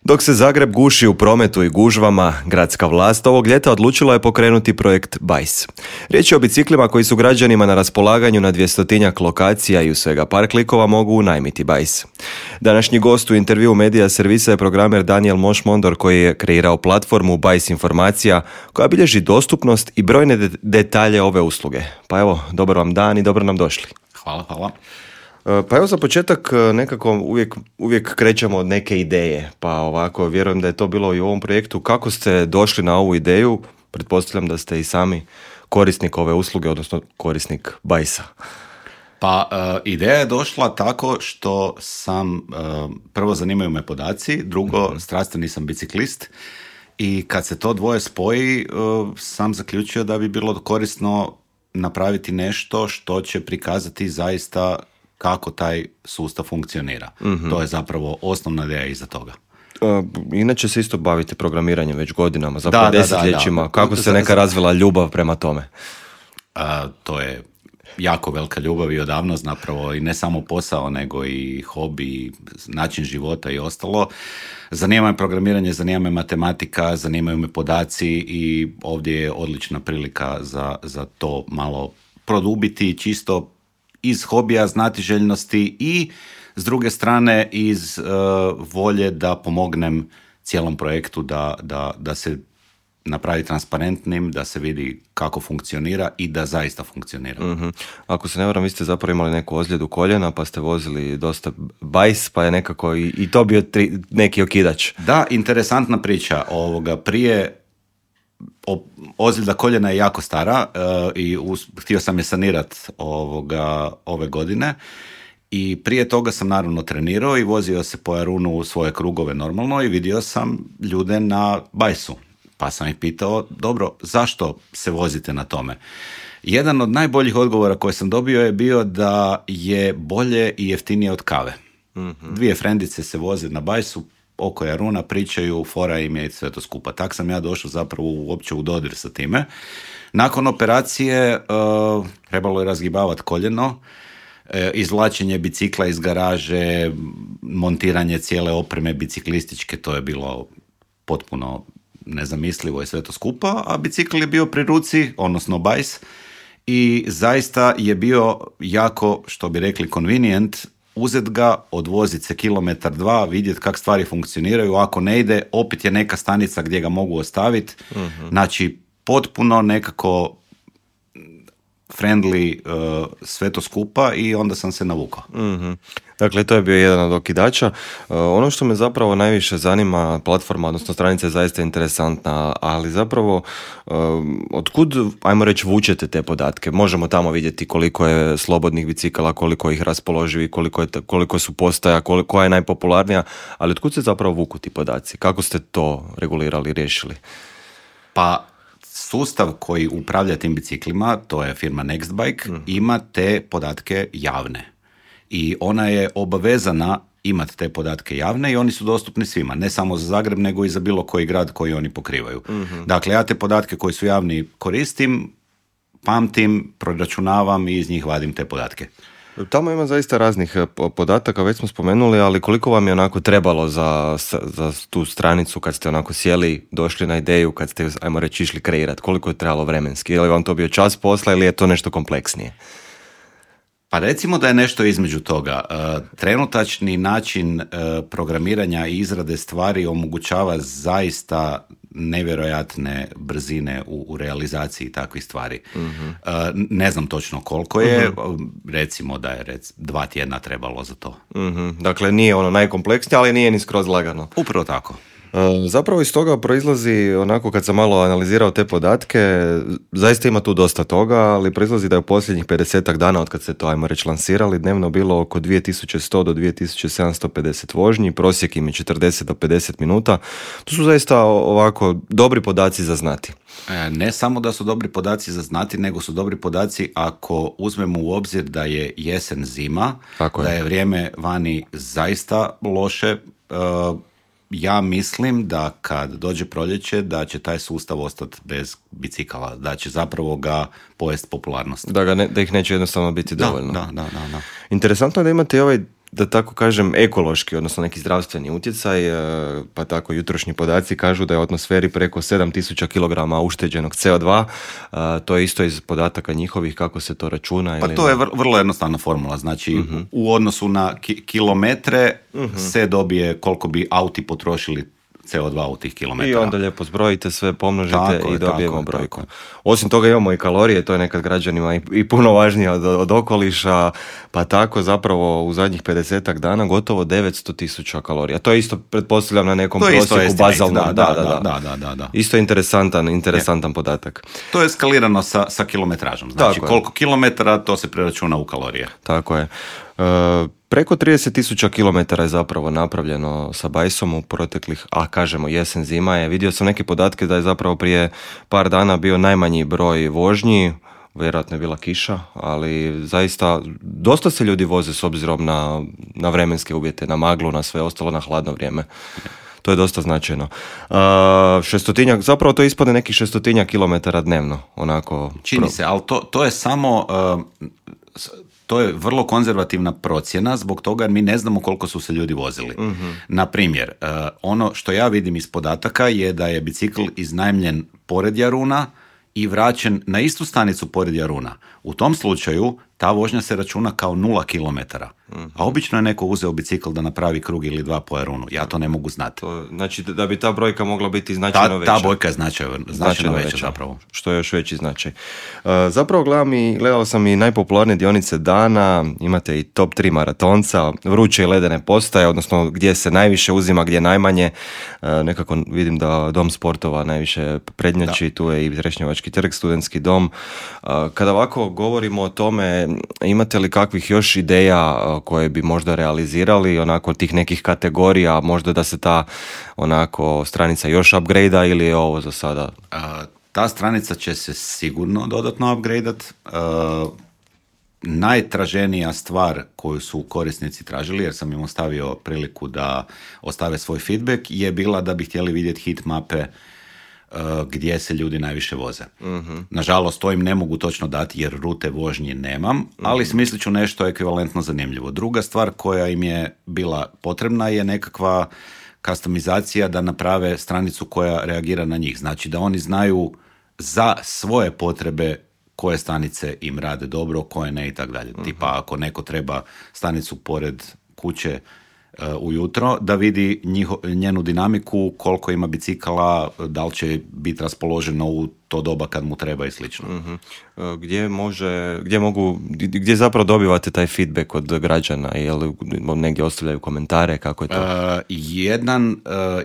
Dok se Zagreb guši u prometu i gužvama, gradska vlast ovog ljeta odlučila je pokrenuti projekt BAJS. Riječ je o biciklima koji su građanima na raspolaganju na 200-tinjak lokacija i u svega par klikova mogu unajmiti BAJS. Današnji gost u intervju Medija servisa je programer Daniel Moš-Mondor koji je kreirao platformu BAJS informacija koja bilježi dostupnost i brojne detalje ove usluge. Pa evo, dobar vam dan i dobro nam došli. Hvala. Pa evo za početak nekako uvijek krećemo od neke ideje, pa ovako vjerujem da je to bilo i u ovom projektu. Kako ste došli na ovu ideju? Pretpostavljam da ste i sami korisnik ove usluge, odnosno korisnik BAJS-a. Pa ideja je došla tako što sam, prvo zanimaju me podaci, drugo strastveni sam biciklist i kad se to dvoje spoji sam zaključio da bi bilo korisno napraviti nešto što će prikazati zaista kako taj sustav funkcionira. To je zapravo osnovna ideja iza toga. Inače se isto bavite programiranjem već godinama, zapravo desetljećima. Da. Kako se neka razvila ljubav prema tome? To je jako velika ljubav i odavno zapravo i ne samo posao, nego i hobi, način života i ostalo. Zanima me programiranje, zanima me matematika, zanimaju me podaci i ovdje je odlična prilika za to malo produbiti čisto iz hobija, znatiželjnosti i s druge strane iz volje da pomognem cijelom projektu da se napravi transparentnim, da se vidi kako funkcionira i da zaista funkcionira. Mm-hmm. Ako se ne varam, vi ste zapravo imali neku ozljedu koljena, pa ste vozili dosta BAJS, pa je nekako i to bio neki okidač. Da, interesantna priča. Prije ozljeda koljena je jako stara i htio sam je sanirati ove godine i prije toga sam naravno trenirao i vozio se po Jarunu u svoje krugove normalno i vidio sam ljude na BAJS-u. Pa sam ih pitao, dobro, zašto se vozite na tome? Jedan od najboljih odgovora koje sam dobio je bio da je bolje i jeftinije od kave. Mm-hmm. Dvije frendice se voze na BAJS-u, oko Jaruna pričaju, fora im je sve to skupa. Tak sam ja došao zapravo uopće u dodir sa time. Nakon operacije trebalo je razgibavati koljeno, izvlačenje bicikla iz garaže, montiranje cijele opreme biciklističke, to je bilo potpuno nezamislivo i sve to skupa, a bicikl je bio pri ruci, odnosno BAJS, i zaista je bio jako, što bi rekli, convenient, uzet ga, odvoziti se 1-2 km, vidjeti kako stvari funkcioniraju, ako ne ide, opet je neka stanica gdje ga mogu ostaviti, znači potpuno nekako friendly sve to skupa i onda sam se navukao. Mm-hmm. Dakle, to je bio jedan od okidača. Ono što me zapravo najviše zanima, platforma, odnosno stranica je zaista interesantna, ali zapravo otkud, ajmo reći, vučete te podatke? Možemo tamo vidjeti koliko je slobodnih bicikala, koliko ih raspoloživi, koliko su postaja, koja je najpopularnija, ali otkud se zapravo vuku ti podaci? Kako ste to regulirali, riješili? Pa, sustav koji upravlja tim biciklima, to je firma Nextbike, ima te podatke javne. I ona je obavezana imati te podatke javne i oni su dostupni svima, ne samo za Zagreb, nego i za bilo koji grad koji oni pokrivaju. Mm-hmm. Dakle, ja te podatke koji su javni koristim, pamtim, proračunavam i iz njih vadim te podatke. Tamo ima zaista raznih podataka, već smo spomenuli, ali koliko vam je onako trebalo za tu stranicu kad ste onako sjeli, došli na ideju, kad ste, ajmo reći, išli kreirati? Koliko je trebalo vremenski? Je li vam to bio čas posla ili je to nešto kompleksnije? Pa recimo da je nešto između toga. Trenutačni način programiranja i izrade stvari omogućava zaista nevjerojatne brzine u realizaciji takvih stvari. Mm-hmm. Ne znam točno koliko je, recimo da je 2 tjedna trebalo za to. Mm-hmm. Dakle, nije ono najkompleksnije, ali nije ni skroz lagano. Upravo tako. Zapravo iz toga proizlazi, onako kad sam malo analizirao te podatke, zaista ima tu dosta toga, ali proizlazi da je u posljednjih 50 dana od kad ste to, ajmo reći, lansirali, dnevno bilo oko 2100 do 2750 vožnji, prosjek im je 40 do 50 minuta. To su zaista ovako dobri podaci za znati. Ne samo da su dobri podaci za znati, nego su dobri podaci ako uzmemo u obzir da je jesen zima, da je vrijeme vani zaista loše. Ja mislim da kad dođe proljeće da će taj sustav ostati bez bicikala, da će zapravo ga pojesti popularnost. Da ih neće jednostavno biti dovoljno. Da. Interesantno je da imate ovaj da tako kažem, ekološki, odnosno neki zdravstveni utjecaj, pa tako jutrošnji podaci kažu da je u atmosferi preko 7000 kg ušteđenog CO2, to je isto iz podataka njihovih, kako se to računa. Pa to je vrlo jednostavna formula, znači u odnosu na kilometre se dobije koliko bi auti potrošili CO2 u tih kilometara. I onda lijepo zbrojite sve, pomnožite i dobijemo brojku. Osim toga imamo i kalorije, to je nekad građanima i puno važnije od okoliša, pa tako zapravo u zadnjih 50 dana gotovo 900.000 kalorija. To je isto, pretpostavljam, na nekom prosjeku bazalnom. Da. Isto interesantan podatak. To je skalirano sa kilometražom. Znači koliko kilometara, to se preračuna u kalorije. Tako je. Preko 30.000 km je zapravo napravljeno sa bajsom u proteklih, kažemo jesen, zima je. Vidio sam neke podatke da je zapravo prije par dana bio najmanji broj vožnji, vjerojatno je bila kiša, ali zaista dosta se ljudi voze s obzirom na vremenske uvjete, na maglu, na sve ostalo, na hladno vrijeme. To je dosta značajno. 600, zapravo to ispadne nekih 600 kilometara dnevno. Onako, čini se, ali to je samo... To je vrlo konzervativna procjena zbog toga jer mi ne znamo koliko su se ljudi vozili. Na primjer, ono što ja vidim iz podataka je da je bicikl iznajmljen pored Jaruna i vraćen na istu stanicu pored Jaruna. U tom slučaju ta vožnja se računa kao 0 km. A obično je neko uzeo bicikl da napravi krug ili dva po Jarunu. Ja to ne mogu znati. Znači da bi ta brojka mogla biti značajno veća. Ta brojka je značajno veća zapravo. Što je još veći značaj. Zapravo gledao sam i najpopularnije dionice dana, imate i top 3 maratonca, vruće i ledene postaje, odnosno gdje se najviše uzima, gdje najmanje. Nekako vidim da Dom sportova najviše prednjači, tu je i Trešnjevački trg, Studentski dom. Kada ovako govorimo o tome, imate li kakvih još ideja koje bi možda realizirali, onako tih nekih kategorija, možda da se ta onako stranica još upgrade-a ili je ovo za sada? Ta stranica će se sigurno dodatno upgrade-at. Najtraženija stvar koju su korisnici tražili, jer sam im ostavio priliku da ostave svoj feedback, je bila da bi htjeli vidjeti heat mape gdje se ljudi najviše voze. Nažalost, to im ne mogu točno dati jer rute vožnje nemam, ali smislit ću nešto ekvivalentno zanimljivo. Druga stvar koja im je bila potrebna je nekakva customizacija da naprave stranicu koja reagira na njih. Znači da oni znaju za svoje potrebe koje stanice im rade dobro, koje ne i tako dalje. Tipa ako neko treba stanicu pored kuće ujutro, da vidi njenu dinamiku, koliko ima bicikala, da li će biti raspoloženo u to doba kad mu treba i slično. Gdje zapravo dobivate taj feedback od građana? Jel negdje ostavljaju komentare? Kako je to?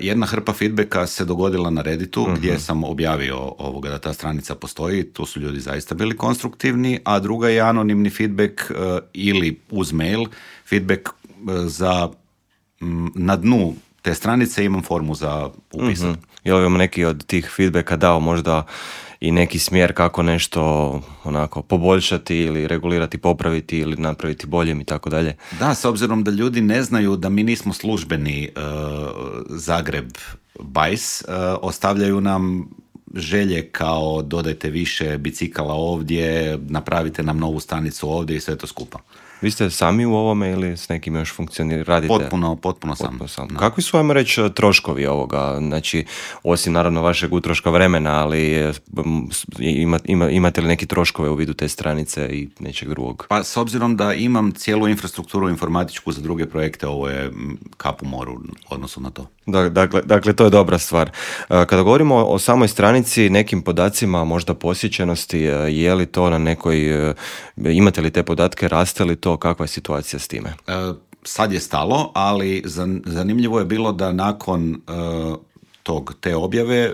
Jedna hrpa feedbacka se dogodila na Redditu, gdje sam objavio da ta stranica postoji, tu su ljudi zaista bili konstruktivni, a druga je anonimni feedback ili uz mail, feedback za na dnu te stranice imam formu za upisat. Je li vam neki od tih feedbacka dao možda i neki smjer kako nešto onako poboljšati ili regulirati, popraviti ili napraviti boljim i tako dalje? Da, s obzirom da ljudi ne znaju da mi nismo službeni Zagreb Bajs, ostavljaju nam želje kao dodajte više bicikala ovdje, napravite nam novu stanicu ovdje i sve to skupa. Vi ste sami u ovome ili s nekim još radite? Potpuno sam. Kakvi su, ajmo reći, troškovi ovoga? Znači, osim naravno vašeg utroška vremena, ali imate li neki troškove u vidu te stranice i nečeg drugog? Pa s obzirom da imam cijelu infrastrukturu informatičku za druge projekte, ovo je kap u moru odnosu na to. Dakle, to je dobra stvar. Kada govorimo o samoj stranici, nekim podacima, možda posjećenosti, je li to na nekoj, imate li te podatke, raste li to, kakva je situacija s time? Sad je stalo, ali zanimljivo je bilo da nakon te objave,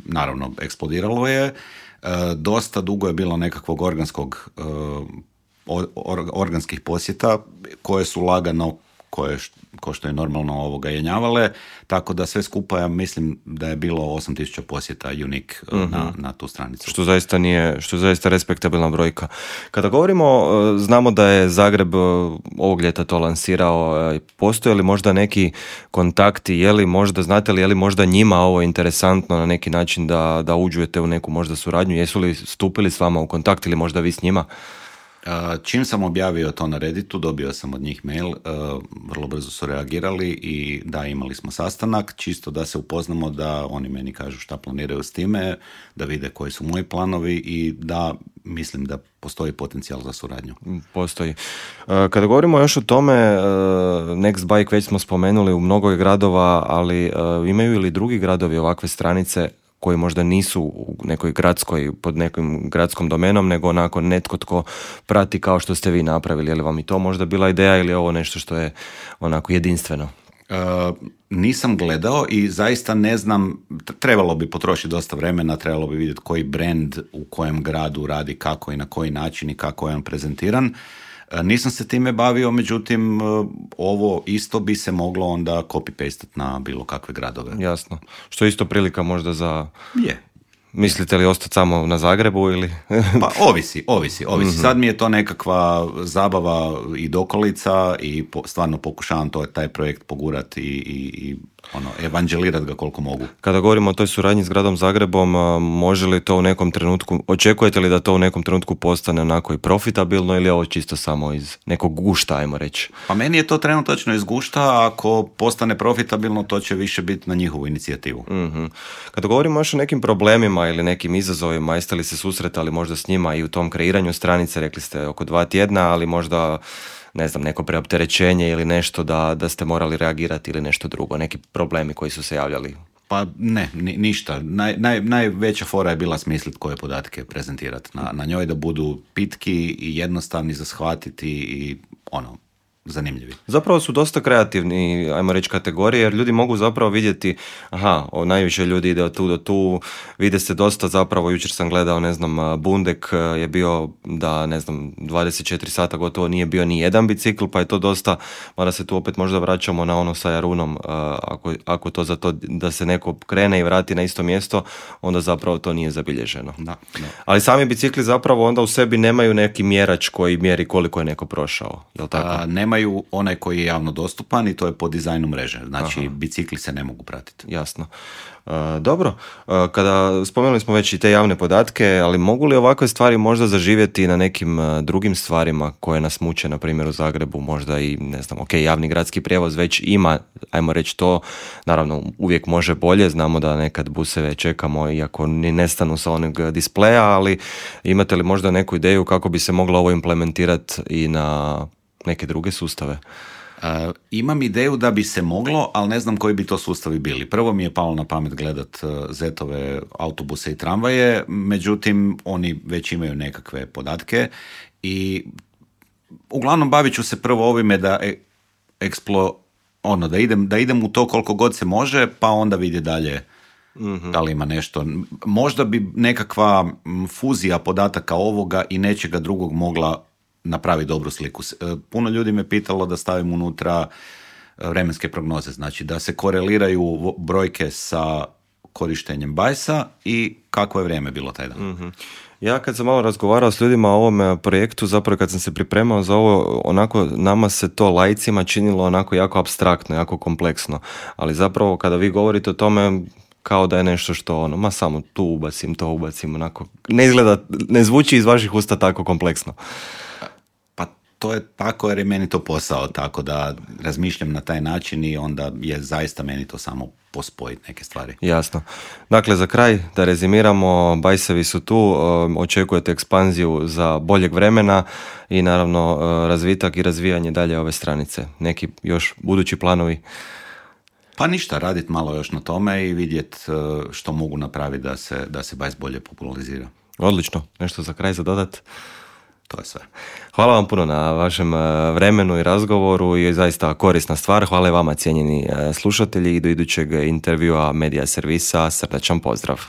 naravno eksplodiralo je, dosta dugo je bilo nekakvog organskih posjeta koje su lagano ko što je normalno jenjavale, tako da sve skupa ja mislim da je bilo 8.000 posjeta unik na tu stranicu. Što zaista respektabilna brojka. Kada govorimo, znamo da je Zagreb ovog ljeta to lansirao, postoje li možda neki kontakti, znate li je li možda njima ovo interesantno na neki način da uđujete u neku možda suradnju, jesu li stupili s vama u kontakt ili možda vi s njima? Čim sam objavio to na Redditu, dobio sam od njih mail, vrlo brzo su reagirali i da, imali smo sastanak, čisto da se upoznamo, da oni meni kažu šta planiraju s time, da vide koji su moji planovi i da mislim da postoji potencijal za suradnju. Postoji. Kada govorimo još o tome, Nextbike već smo spomenuli u mnogo gradova, ali imaju li drugi gradovi ovakve stranice koji možda nisu u nekoj gradskoj, pod nekim gradskom domenom, nego onako netko tko prati kao što ste vi napravili. Je li vam i to možda bila ideja ili je ovo nešto što je onako jedinstveno? Nisam gledao i zaista ne znam, trebalo bi potrošiti dosta vremena, trebalo bi vidjeti koji brand u kojem gradu radi, kako i na koji način i kako je on prezentiran. Nisam se time bavio, međutim, ovo isto bi se moglo onda copy-pastati na bilo kakve gradove. Jasno. Što je isto prilika možda za... Je. Mislite li ostati samo na Zagrebu ili... Pa ovisi. Mm-hmm. Sad mi je to nekakva zabava i dokolica i stvarno pokušavam taj projekt pogurati i evanđelirati ga koliko mogu. Kada govorimo o toj suradnji s gradom Zagrebom, može li to u nekom trenutku, očekujete li da to u nekom trenutku postane onako i profitabilno ili je ovo čisto samo iz nekog gušta, ajmo reći? Pa meni je to trenutačno iz gušta, ako postane profitabilno to će više biti na njihovu inicijativu. Mm-hmm. Kada govorimo još o nekim problemima ili nekim izazovima, jeste li se susretali možda s njima i u tom kreiranju stranice, rekli ste oko 2 tjedna, ali možda ne znam, neko preopterećenje ili nešto da ste morali reagirati ili nešto drugo, neki problemi koji su se javljali? Pa ne, ništa. Najveća fora je bila smisliti koje podatke prezentirati na njoj, da budu pitki i jednostavni za shvatiti i zanimljivi. Zapravo su dosta kreativni, ajmo reći, kategorije, jer ljudi mogu zapravo vidjeti, najviše ljudi ide od tu do tu, vide se dosta zapravo, jučer sam gledao, ne znam, Bundek je bio da, ne znam, 24 sata gotovo nije bio ni jedan bicikl, pa je to dosta, mada se tu opet možda vraćamo na ono sa Jarunom, ako to za to da se neko krene i vrati na isto mjesto, onda zapravo to nije zabilježeno. Da. Ali sami bicikli zapravo onda u sebi nemaju neki mjerač koji mjeri koliko je neko prošao, je li tako? Nemaju onaj koji je javno dostupan i to je po dizajnu mreže. Znači, bicikli se ne mogu pratiti. Jasno. Dobro, kada spomenuli smo već i te javne podatke, ali mogu li ovakve stvari možda zaživjeti na nekim drugim stvarima koje nas muče, na primjer u Zagrebu, možda i, ne znam, javni gradski prijevoz već ima, ajmo reći to, naravno uvijek može bolje, znamo da nekad buseve čekamo iako ni nestanu sa onog displeja, ali imate li možda neku ideju kako bi se moglo ovo implementirati i na neke druge sustave? Imam ideju da bi se moglo, ali ne znam koji bi to sustavi bili. Prvo mi je palo na pamet gledat ZET-ove autobuse i tramvaje, međutim oni već imaju nekakve podatke i uglavnom bavit ću se prvo ovime da da idem u to koliko god se može, pa onda vidi dalje da li ima nešto. Možda bi nekakva fuzija podataka ovoga i nečega drugog mogla napravi dobru sliku. Puno ljudi me pitalo da stavim unutra vremenske prognoze, znači da se koreliraju brojke sa korištenjem Bajsa i kakvo je vrijeme bilo taj dan. Mm-hmm. Ja kad sam malo razgovarao s ljudima o ovom projektu, zapravo kad sam se pripremao za ovo, onako nama se to laicima činilo onako jako apstraktno, jako kompleksno, ali zapravo kada vi govorite o tome, kao da je nešto što samo tu ubacim, to ubacim, onako ne izgleda, ne zvuči iz vaših usta tako kompleksno. To je tako jer je meni to posao, tako da razmišljam na taj način i onda je zaista meni to samo pospojiti neke stvari. Jasno. Dakle, za kraj da rezimiramo, Bajsevi su tu, očekujete ekspanziju za boljeg vremena i naravno razvitak i razvijanje dalje ove stranice. Neki još budući planovi? Pa ništa, raditi malo još na tome i vidjeti što mogu napraviti da se Bajs bolje popularizira. Odlično. Nešto za kraj za dodat? To je sve. Hvala vam puno na vašem vremenu i razgovoru i zaista korisna stvar. Hvala i vama, cijenjeni slušatelji, i do idućeg intervjua Medija servisa. Srdačan pozdrav.